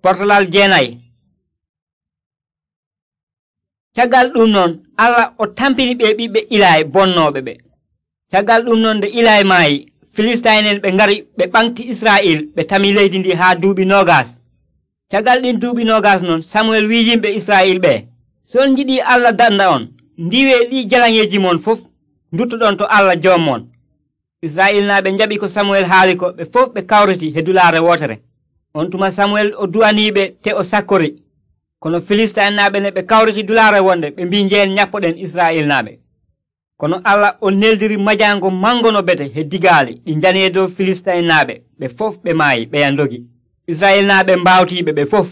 Portalal 9. Caggal ɗum noon Allah o tampini ɓe ɓiɓɓe Ilaay bonnooɓe ɓe. Caggal ɗum noon nde Ilaay maayi, Filistayin'en ɓe ngari ɓe ɓaŋti Israa'il ɓe tami leydi ndi haa duuɓi 20. Caggal ɗin duuɓi 20 noon Samuel wi'i yimɓe Israa'il ɓe, so on njiɗii Allah danda on, ndiwee ɗi jalaŋeeji mon fof nduttoɗon to Allah joommon. Israa'ilnaaɓe njaɓi ko Samuel haali ko, ɓe fof ɓe kawriti he dulaare wootere. On tuma Samuel o du'aniiɓe te o sakkori. Kono Filistayinaaɓe ne ɓe kawriti dulaare wonde ɓe mbi njeen ñappoɗen Israa'ilnaaɓe. Kono Allah o neldiri majaango mango no bete he digaali ɗi njani e dow Filistayinaaɓe, ɓe fof ɓe maayi ɓeya ndogi. Israa'ilnaaɓe mbaawtiiɓe ɓe fof.